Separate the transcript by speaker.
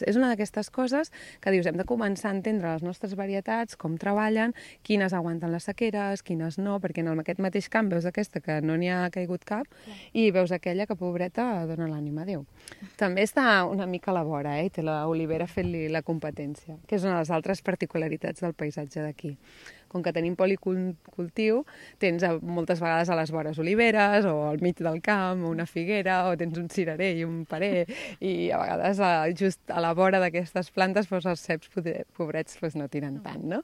Speaker 1: És una d'aquestes coses que dius, hem de començar a entendre les nostres varietats, com treballen, quines aguanten les sequeres, quines no, perquè en aquest mateix camp veus aquesta que no n'hi ha caigut cap i veus aquella que, pobreta, dona l'ànima a Déu. També està una mica a la vora, i té l'olivera fent-li la competència, que és una de les altres particularitats del paisatge d'aquí. Com que tenim policultiu, tens moltes vegades a les vores oliveres, o al mig del camp, o una figuera, o tens un cirerer i un parer, i a vegades just a la vora d'aquestes plantes els ceps pobrets no tiren tant, no?